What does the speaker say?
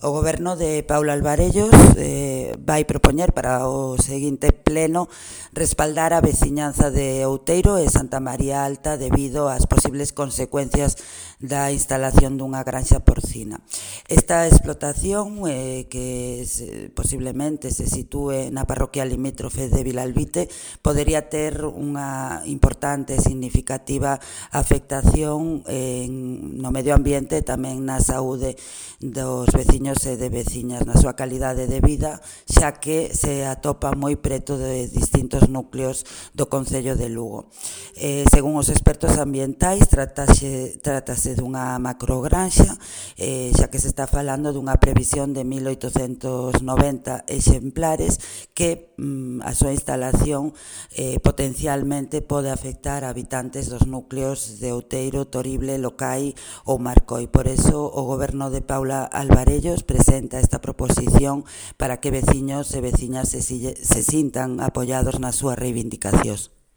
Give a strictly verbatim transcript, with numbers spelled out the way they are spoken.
O Goberno de Paula Alvarellos eh, vai propoñer para o seguinte pleno respaldar a veciñanza de Outeiro e Santa María Alta debido ás posibles consecuencias da instalación dunha granxa porcina. Esta explotación, eh, que se, posiblemente se sitúe na parroquia limítrofe de Vilalbite, podería ter unha importante e significativa afectación en, no medio ambiente e tamén na saúde dos veciños e de veciñas na súa calidade de vida, xa que se atopa moi preto de distintos núcleos do concello de Lugo. Eh, según os expertos ambientais, trátase, trátase dunha macrogranxa, eh, xa que se está falando dunha previsión de mil oitocentos noventa exemplares que mm, a súa instalación eh, potencialmente pode afectar a habitantes dos núcleos de Outeiro, Torible, Locai ou Marcoi. Por eso o Goberno de Paula Alvarellos presenta esta proposición para que veciños e veciñas se, se sintan apoiados nas súas reivindicacións.